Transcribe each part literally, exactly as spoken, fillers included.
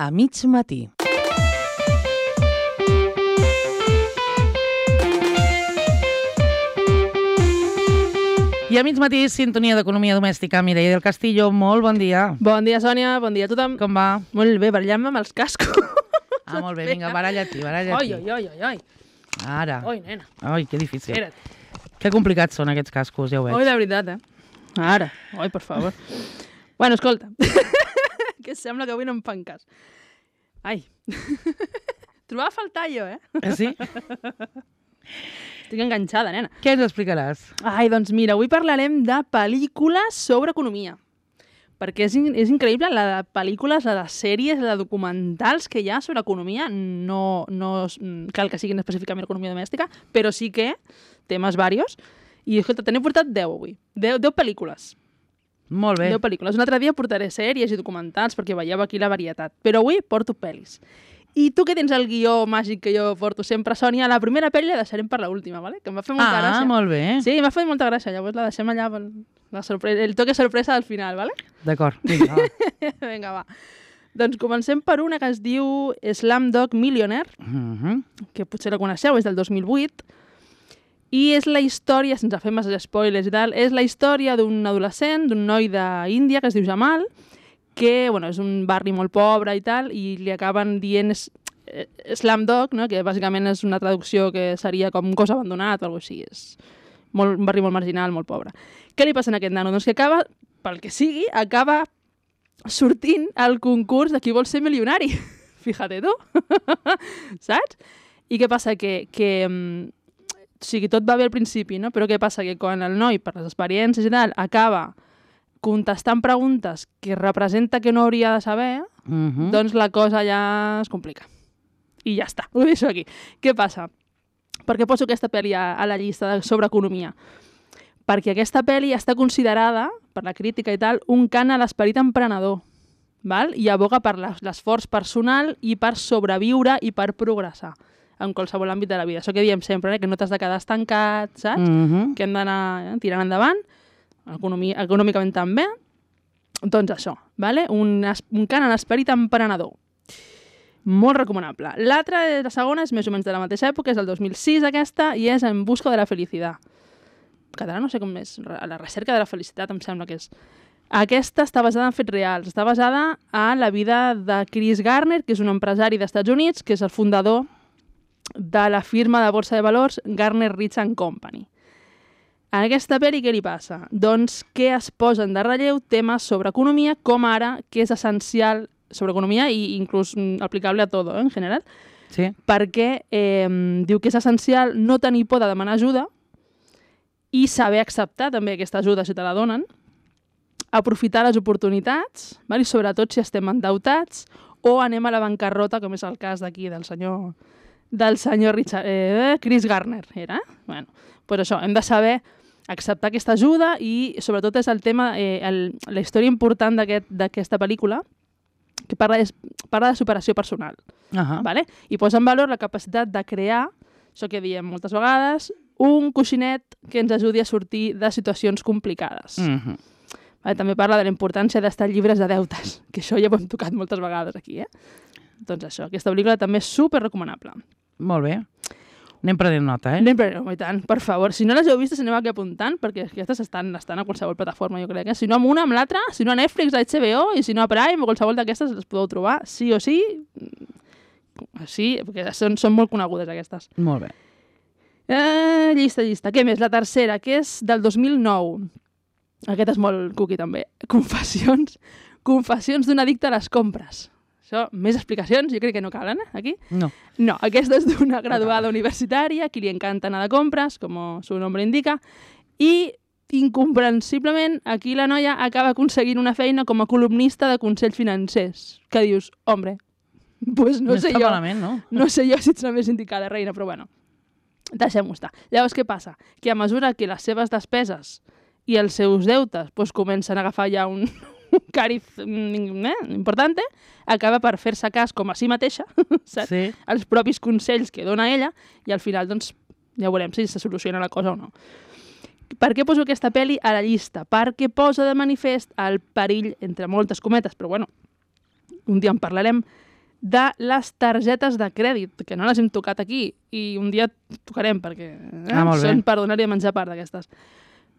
a mig matí. I a mig matí, sintonia d'economia domèstica. Mireia del Castillo, molt bon dia. Bon dia, Sònia, bon dia a tothom. Com va? Molt bé, barallant-me amb els cascos. Ah, molt bé, vinga, baralla-t'hi, baralla-t'hi. Oi, oi, oi, oi. Ara. Oi, nena. Ai, que difícil. Espera't. Que complicats són aquests cascos, ja ho veig. Oi, de veritat, eh? Ara. Oi, per favor. Bueno, escolta. Que sembla que avui no em fan cas. Ai. Trobava a faltar jo, eh? Eh, sí? Estic enganxada, nena. Què ens explicaràs? Ai, doncs mira, avui parlarem de pel·lícules sobre economia. Perquè és, in és increïble la de pel·lícules, la de sèries, la de documentals que hi ha sobre economia. No, no cal que siguin específicament economia domèstica, però sí que temes varios. I, escolta, t'he portat deu avui. deu, deu pel·lícules. Molt bé. deu pel·lícules. Un altre dia portaré sèries i documentals perquè veieu aquí la varietat. Però avui porto pel·lis. I tu que tens el guió màgic que jo porto sempre, Sònia, la primera pel·li la deixarem per l'última, ¿vale? Que em va fer molta ah, gràcia. Ah, molt bé. Sí, m'ha fet molta gràcia. Llavors la deixem allà per la sorpresa, el toque sorpresa al final, ¿vale? D'acord, vinga, va. Vinga, va. Doncs comencem per una que es diu Slumdog Millionaire, Mm -hmm. que potser la coneixeu, és del dos mil vuit, i és la història, sense fer massa spoilers i tal, és la història d'un adolescent, d'un noi d'Índia que es diu Jamal, que bueno, és un barri molt pobre i tal, i li acaben dient eh, Slumdog, no? Que bàsicament és una traducció que seria com un cos abandonat o alguna cosa així. És molt, un barri molt marginal, molt pobre. Què li passa a aquest nano? Doncs que acaba, pel que sigui, acaba sortint al concurs de qui vol ser milionari. Fíjate tu. Saps? I què passa? Que, que o sigui, tot va bé al principi, no? Però què passa? Que quan el noi, per les experiències i tal, acaba contestant preguntes que representa que no hauria de saber, Mm -hmm. doncs la cosa ja es complica. I ja està, ho deixo aquí. Què passa? Per què poso aquesta pel·li a, a la llista sobre economia? Perquè aquesta pel·li està considerada, per la crítica i tal, un cant a l'esperit emprenedor, val? I aboga per l'esforç personal i per sobreviure i per progressar en qualsevol àmbit de la vida. Això que diem sempre, eh? Que no t'has de quedar estancat, saps? Mm -hmm. Que hem d'anar eh? tirant endavant, economia, econòmicament també. Doncs això, vale? un, un cant a l'esperit emprenedor. Molt recomanable. L'altra, la segona, és més o menys de la mateixa època, és el dos mil sis aquesta, i és En busca de la felicitat. En català no sé com és, a la recerca de la felicitat em sembla que és. Aquesta està basada en fets reals, està basada en la vida de Chris Garner, que és un empresari dels Estats Units, que és el fundador de la firma de borsa de valors Garner Rich and Company. En aquesta pel·li què li passa? Doncs que es posen de relleu temes sobre economia, com ara, que és essencial sobre economia i inclús aplicable a tot, eh, en general, sí. Perquè eh, diu que és essencial no tenir por de demanar ajuda i saber acceptar també aquesta ajuda si te la donen, aprofitar les oportunitats, val? I sobretot si estem endeutats o anem a la bancarrota, com és el cas d'aquí del senyor del senyor Richard, eh, Chris Garner, era? Eh? Bueno, doncs això, hem de saber acceptar aquesta ajuda i sobretot és el tema, eh, el, la història important d'aquesta pel·lícula, que parla de, parla de superació personal. Uh -huh. Vale? I posa en valor la capacitat de crear, això que diem moltes vegades, un coixinet que ens ajudi a sortir de situacions complicades. Mm -hmm. Vale? També parla de la importància d'estar llibres de deutes, que això ja ho hem tocat moltes vegades aquí. Eh? Doncs això, aquesta pel·lícula també és super recomanable. Molt bé. Anem prenent nota, eh? Anem prenent nota, i tant, per favor. Si no les heu vistes, aneu aquí apuntant, perquè aquestes estan, estan a qualsevol plataforma, jo crec. Eh? Si no amb una, amb l'altra, si no a Netflix, a H B O, i si no a Prime, o qualsevol d'aquestes les podeu trobar, sí o sí. Sí, perquè són, són molt conegudes, aquestes. Molt bé. Eh, llista, llista. Què més? La tercera, que és del dos mil nou. Aquest és molt cookie, també. Confessions. Confessions d'un addicte a les compres. Això, més explicacions, jo crec que no calen, eh, aquí. No. No, aquesta és d'una graduada universitària, qui li encanta anar de compres, com su nombre indica, i incomprensiblement aquí la noia acaba aconseguint una feina com a columnista de consells financers. Que dius, hombre, pues no, no sé està jo, malament, no? no sé jo si ets la més indicada, reina, però bueno, deixem-ho estar. Llavors, què passa? Que a mesura que les seves despeses i els seus deutes pues, comencen a agafar ja un... un càrif eh, important, acaba per fer-se cas com a si mateixa, saps? Sí. Els propis consells que dona ella, i al final, doncs, ja veurem si se soluciona la cosa o no. Per què poso aquesta pel·li a la llista? Perquè posa de manifest el perill, entre moltes cometes, però bueno, un dia en parlarem, de les targetes de crèdit, que no les hem tocat aquí, i un dia tocarem, perquè eh, Ah, molt bé. són per donar-hi a menjar part d'aquestes.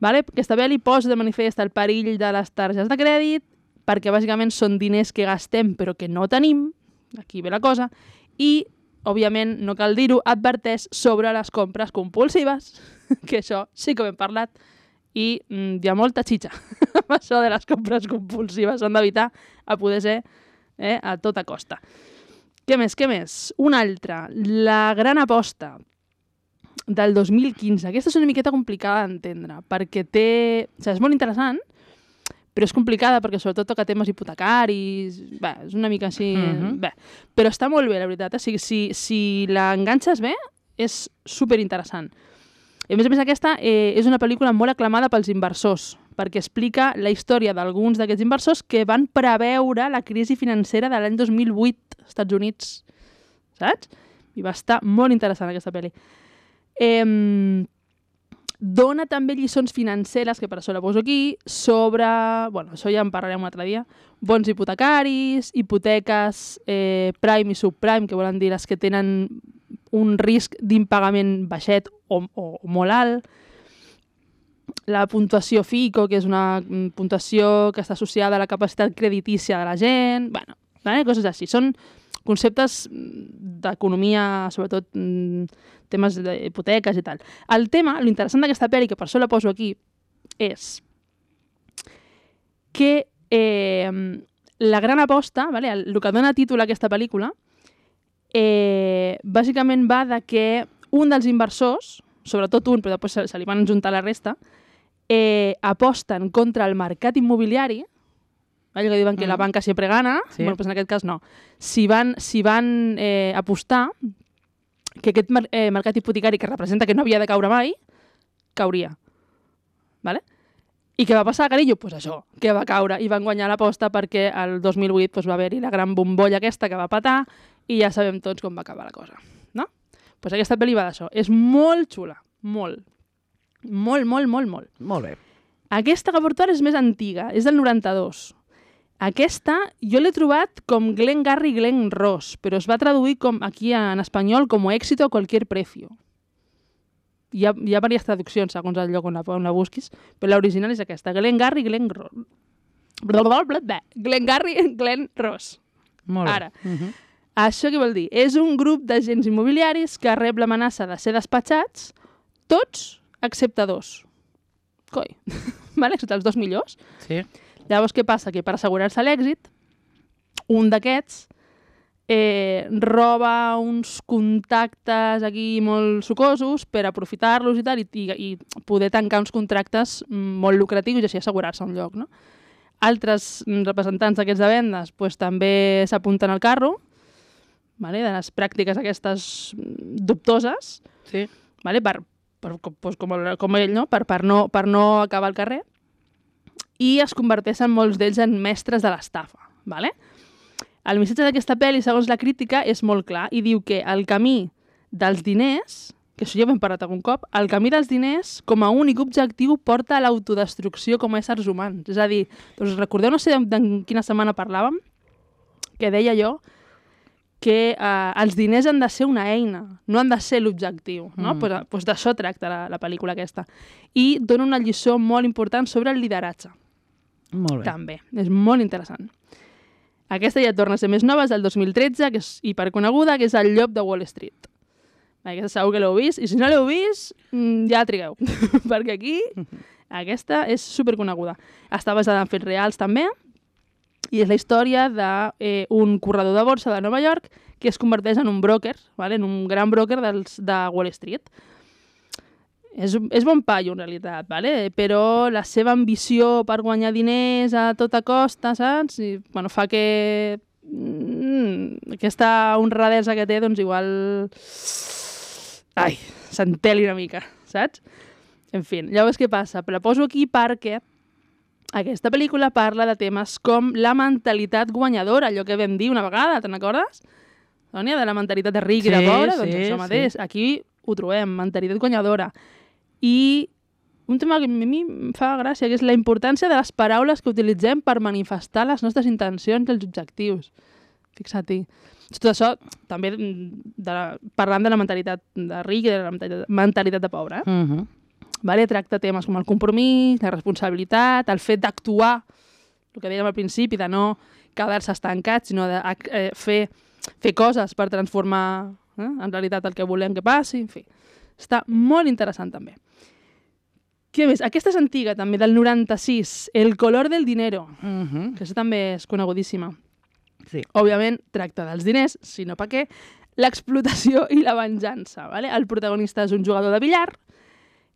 Vale? Aquesta pel·li posa de manifest el perill de les targetes de crèdit, perquè bàsicament són diners que gastem però que no tenim, aquí ve la cosa, i, òbviament, no cal dir-ho, adverteix sobre les compres compulsives, que això sí que ho hem parlat, i mm, hi ha molta xitxa amb això de les compres compulsives, s'han d'evitar a poder ser eh, a tota costa. Què més, què més? Una altra, La gran aposta, del dos mil quinze. Aquesta és una miqueta complicada d'entendre, perquè té... O sigui, és molt interessant, però és complicada perquè sobretot toca temes hipotecaris... Bé, és una mica així... Mhm. Bé, però està molt bé, la veritat. O sigui, si, si l'enganxes bé, és superinteressant. I a més a més aquesta eh, és una pel·lícula molt aclamada pels inversors, perquè explica la història d'alguns d'aquests inversors que van preveure la crisi financera de l'any dos mil vuit als Estats Units, saps? I va estar molt interessant aquesta pel·li. Eh, dona també lliçons financeres, que per això la poso aquí, sobre, bueno, això ja en parlarem un altre dia, bons hipotecaris, hipoteques eh, prime i subprime, que volen dir les que tenen un risc d'impagament baixet o, o, o molt alt, la puntuació FICO, que és una puntuació que està associada a la capacitat creditícia de la gent, bueno, vale? Coses així. Són conceptes d'economia, sobretot temes d'hipoteques i tal. El tema, l'interessant d'aquesta pel·li, que per això la poso aquí, és que eh, la gran aposta, vale? el, el que dona títol a aquesta pel·lícula, eh, bàsicament va de que un dels inversors, sobretot un, però després se, se li van juntar la resta, eh, aposten contra el mercat immobiliari, allò que diuen que mm. la banca sempre gana, sí. Bueno, pues en aquest cas no. Si van, si van eh, apostar que aquest mer eh, mercat hipotecari, que representa que no havia de caure mai, cauria. Vale? I què va passar, carinyo? Pues això, que va caure i van guanyar l'aposta perquè el dos mil vuit pues, va haver-hi la gran bombolla aquesta que va patar i ja sabem tots com va acabar la cosa. No? Pues aquesta pel·li va d'això. És molt xula, molt. Molt, molt, molt, molt. Molt bé. Aquesta que porto ara és més antiga, és del noranta-dos. Aquesta jo l'he trobat com Glen Garry Glen Ross, però es va traduir com aquí en espanyol com Éxito a cualquier precio. Hi ha, hi ha diverses traduccions segons el lloc on la, on la busquis, però l'original és aquesta, Glen Garry Glen Ross. Glen Garry Glen Ross. Molt bé. Ara, uh -huh. això què vol dir? És un grup d'agents immobiliaris que rep l'amenaça de ser despatxats, tots excepte dos. Coi. Vale? Excepte els dos millors. Sí. Llavors, què passa? Que per assegurar-se l'èxit, un d'aquests eh, roba uns contactes aquí molt sucosos per aprofitar-los i tal, i, i, i poder tancar uns contractes molt lucratius i així assegurar-se un lloc, no? Altres representants d'aquests de vendes pues, també s'apunten al carro, vale? De les pràctiques aquestes dubtoses, Sí. vale? per, per, pues, com, el, com ell, no? Per, per, no, per no acabar al carrer, i es converteixen molts d'ells en mestres de l'estafa. Vale? El missatge d'aquesta pel·li, segons la crítica, és molt clar i diu que el camí dels diners, que això ja ho hem parlat algun cop, el camí dels diners com a únic objectiu porta a l'autodestrucció com a éssers humans. És a dir, doncs recordeu, no sé de, de quina setmana parlàvem, que deia jo que eh, els diners han de ser una eina, no han de ser l'objectiu. No? Mm. Pues, pues d'això tracta la, la pel·lícula aquesta. I dona una lliçó molt important sobre el lideratge. Molt bé. També. És molt interessant. Aquesta ja torna a ser més nova, és del dos mil tretze, que és hiperconeguda, que és El llop de Wall Street. Aquesta segur que l'heu vist, i si no l'heu vist, ja trigueu, perquè aquí aquesta és superconeguda. Està basada en fets reals també, i és la història d'un eh, corredor de borsa de Nova York que es converteix en un broker, vale? En un gran broker dels, de Wall Street. És, és bon paio, en realitat, vale? Però la seva ambició per guanyar diners a tota costa, saps? I, bueno, fa que mm, aquesta honradesa que té, doncs igual... Ai, s'enteli una mica, saps? En fi, llavors què passa? La poso aquí perquè aquesta pel·lícula parla de temes com la mentalitat guanyadora, allò que vam dir una vegada, te'n recordes? Sònia, de la mentalitat de ric i de pobre, doncs això mateix. Aquí ho trobem, mentalitat guanyadora. I un tema que a mi em fa gràcia, que és la importància de les paraules que utilitzem per manifestar les nostres intencions i els objectius. Fixa't-hi. Tot això, també de la, parlant de la mentalitat de ric i de la mentalitat, mentalitat de pobre. Eh? Uh -huh. Vale? Tracta temes com el compromís, la responsabilitat, el fet d'actuar, el que dèiem al principi, de no quedar-se estancat, sinó de eh, fer, fer coses per transformar eh, en realitat el que volem que passi. En fi, està molt interessant també. Què més? Aquesta és antiga, també, del noranta-sis, El color del dinero, Uh -huh. que aquesta també és conegudíssima. Sí. Òbviament, tracta dels diners, si no pa què, l'explotació i la venjança. Vale? El protagonista és un jugador de billar,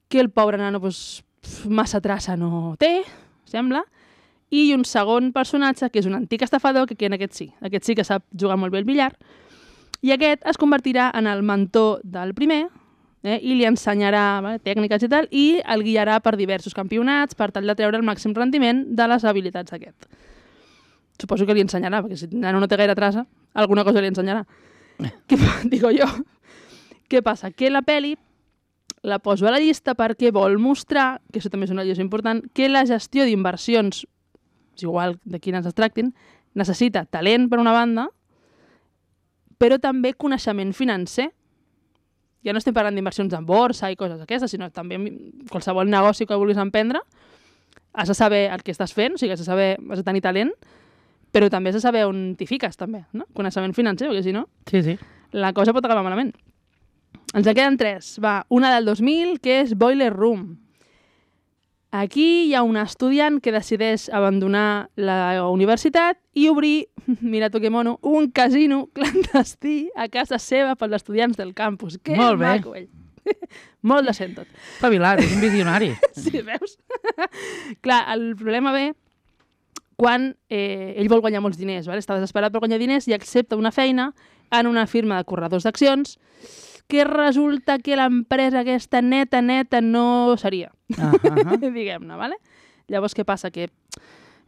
que el pobre nano pues, massa traça no té, sembla, i un segon personatge, que és un antic estafador, que, que en aquest sí, aquest sí que sap jugar molt bé el billar, i aquest es convertirà en el mentor del primer, eh, i li ensenyarà vale, tècniques i tal, i el guiarà per diversos campionats per tal de treure el màxim rendiment de les habilitats d'aquest. Suposo que li ensenyarà, perquè si el nano no té gaire traça, alguna cosa li ensenyarà. Què, digo jo. Què passa? Que la pel·li la poso a la llista perquè vol mostrar, que això també és una llista important, que la gestió d'inversions, és igual de quines es tractin, necessita talent per una banda, però també coneixement financer. Ja no estem parlant d'inversions en borsa i coses d'aquestes, sinó també qualsevol negoci que vulguis emprendre, has de saber el que estàs fent, o sigui, has de saber, has de tenir talent, però també has de saber on t'hi fiques, també, no? Coneixement financer, perquè si no, Sí, sí. la cosa pot acabar malament. Ens en queden tres. Va, una del dos mil, que és Boiler Room. Aquí hi ha un estudiant que decideix abandonar la universitat i obrir, mira tu que mono, un casino clandestí a casa seva pels estudiants del campus. Que Molt bé. maco, ell. Molt decent tot. Espavilat, és un visionari. Sí, veus? Clar, el problema ve quan eh, ell vol guanyar molts diners, vale? Està desesperat per guanyar diners i accepta una feina en una firma de corredors d'accions que resulta que l'empresa aquesta neta, neta, no seria, Uh -huh. diguem-ne, vale? Llavors, què passa? Que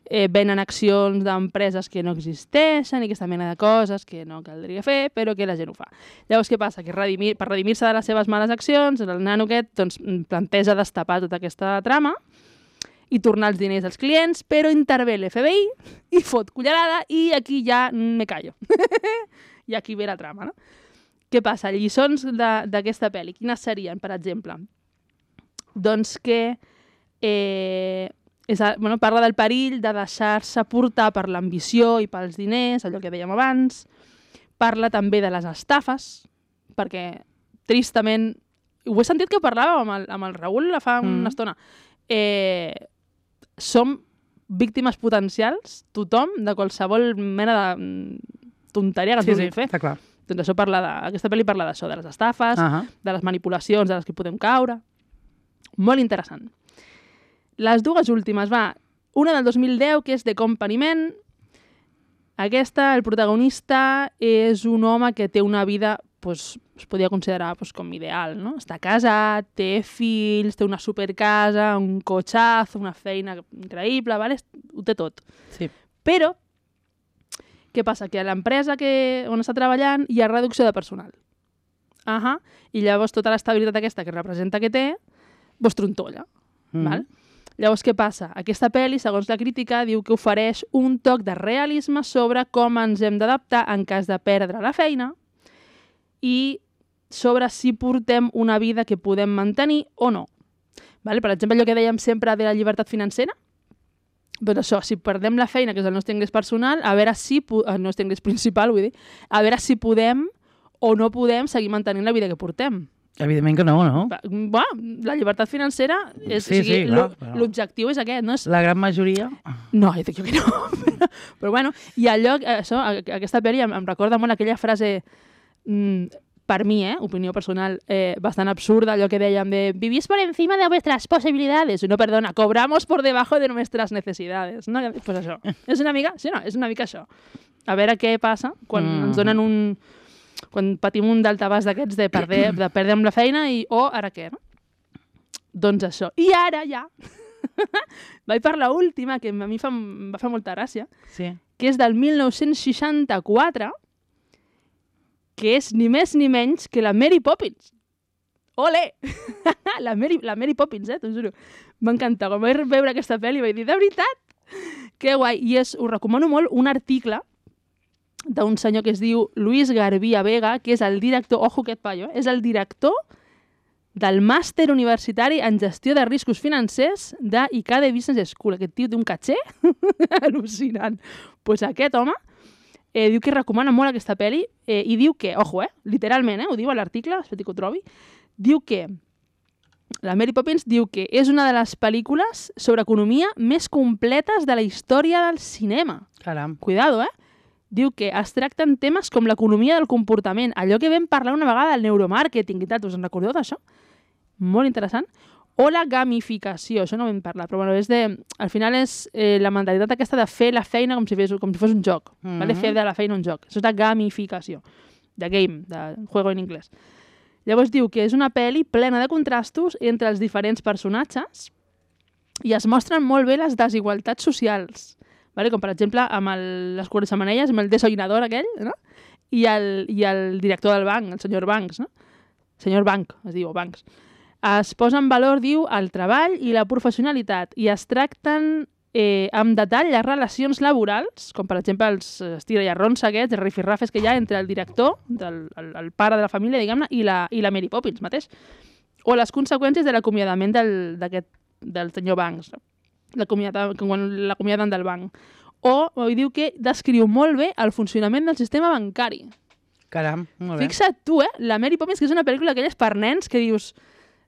eh, venen accions d'empreses que no existeixen i aquesta mena de coses que no caldria fer, però que la gent ho fa. Llavors, què passa? Que redimir, per redimir-se de les seves males accions, el nano aquest doncs, planteja destapar tota aquesta trama i tornar els diners als clients, però intervé l'F B I i fot cullerada i aquí ja me callo. I aquí ve la trama, no? Què passa? Lliçons d'aquesta pel·li. Quines serien, per exemple? Doncs que eh, és, bueno, parla del perill de deixar-se portar per l'ambició i pels diners, allò que dèiem abans. Parla també de les estafes, perquè tristament... Ho he sentit que ho parlàvem amb el, amb el Raül fa mm. una estona. Eh, som víctimes potencials, tothom, de qualsevol mena de tonteria que sí, ens vulguin sí, fer. està clar. Doncs això parla de, aquesta pel·li parla d'això, de les estafes, Uh -huh. de les manipulacions de les que podem caure. Molt interessant. Les dues últimes, va, una del dos mil deu, que és The Company Man. Aquesta, el protagonista, és un home que té una vida, pues, es podria considerar pues, com ideal, no? Està casat, té fills, té una supercasa, un cotxazo, una feina increïble, vale? Ho té tot. Sí. Però, què passa? Que a l'empresa que, on està treballant hi ha reducció de personal. Uh -huh. I llavors tota l'estabilitat aquesta que representa que té, vos trontolla. Mm -hmm. Val? Llavors, què passa? Aquesta pel·li, segons la crítica, diu que ofereix un toc de realisme sobre com ens hem d'adaptar en cas de perdre la feina i sobre si portem una vida que podem mantenir o no. Vale? Per exemple, allò que dèiem sempre de la llibertat financera, doncs això, si perdem la feina, que és el nostre ingrés personal, a veure si, el nostre ingrés principal, vull dir, a veure si podem o no podem seguir mantenint la vida que portem. Evidentment que no, no? Bueno, la llibertat financera, és, Sí, o sigui, sí, clar, però- l'objectiu és aquest, no és... La gran majoria... No, jo dic jo que no. Però, però bueno, i allò, això, aquesta pel·li em, em recorda molt aquella frase, mm, per mi, eh, opinió personal, eh, bastant absurda, allò que dèiem de vivís por encima de vuestras posibilidades. No, perdona, cobramos por debajo de nuestras necesidades. No? Pues això. És una mica, sí, no, és una mica això. A veure què passa quan mm. ens donen un... quan patim un daltabàs d'aquests de, perder, de perdre amb la feina i, oh, ara què, no? Doncs això. I ara ja vaig per l'última, que a mi fa, em va fer molta gràcia, Sí. que és del mil nou-cents seixanta-quatre, que és ni més ni menys que la Mary Poppins. Ole! la, Mary, la Mary Poppins, eh, t'ho juro. M'encanta. Quan vaig veure aquesta pel·li vaig dir, de veritat? Que guai. I és, us recomano molt un article d'un senyor que es diu Luis Garbia Vega, que és el director, ojo aquest paio, eh? És el director del màster universitari en gestió de riscos financers de I C A D E Business School. Aquest tio té un caché al·lucinant. Doncs pues aquest home eh, diu que recomana molt aquesta pel·li eh, i diu que, ojo, eh, literalment, eh, ho diu a l'article, espera que ho trobi, diu que la Mary Poppins diu que és una de les pel·lícules sobre economia més completes de la història del cinema. Caram. Cuidado, eh? Diu que es tracten temes com l'economia del comportament, allò que vam parlar una vegada del neuromàrqueting i tal, us en recordeu d'això? Molt interessant. O la gamificació, això no vam parlar, però bueno, és de, al final és eh, la mentalitat aquesta de fer la feina com si, fes, com si fos un joc, mm-hmm. vale? Fer de la feina un joc. Això és de gamificació, de game, de juego en anglès. Llavors diu que és una pel·li plena de contrastos entre els diferents personatges i es mostren molt bé les desigualtats socials, vale? Com per exemple amb el, les cuerxamanelles, amb el desollinador aquell, no? I, el, i el director del banc, el senyor Banks, no? Senyor Bank, es diu, Banks. Es posa en valor, diu, el treball i la professionalitat i es tracten eh, amb detall les relacions laborals, com per exemple els estira i arrons aquests, els rifirrafes que hi ha entre el director, del, el, el pare de la família, diguem-ne, i, la, i la Mary Poppins mateix. O les conseqüències de l'acomiadament del, del senyor Banks, quan l'acomiaden del banc. O, o diu que descriu molt bé el funcionament del sistema bancari. Caram, molt bé. Fixa't tu, eh? La Mary Poppins, que és una pel·lícula d'aquelles per nens que dius...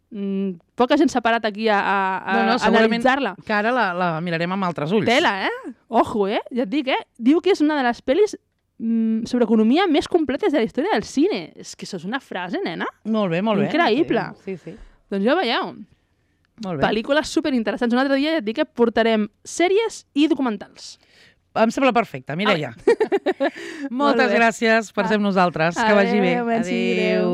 Mm, poca gent s'ha parat aquí a, a, a no, no, analitzar-la. Que ara la, la mirarem amb altres ulls. Tela, eh? Ojo, eh? Ja et dic, eh? Diu que és una de les pel·lis mm, sobre economia més completes de la història del cine. És que això és una frase, nena. Molt bé, molt bé. Increïble. Sí, sí. Doncs ja veieu. Molt bé. Pel·lícules superinteressants. Un altre dia ja et dic que portarem sèries i documentals. Em sembla perfecte, Mireia. Moltes gràcies per ser amb nosaltres. Que vagi bé. Adéu. Adéu.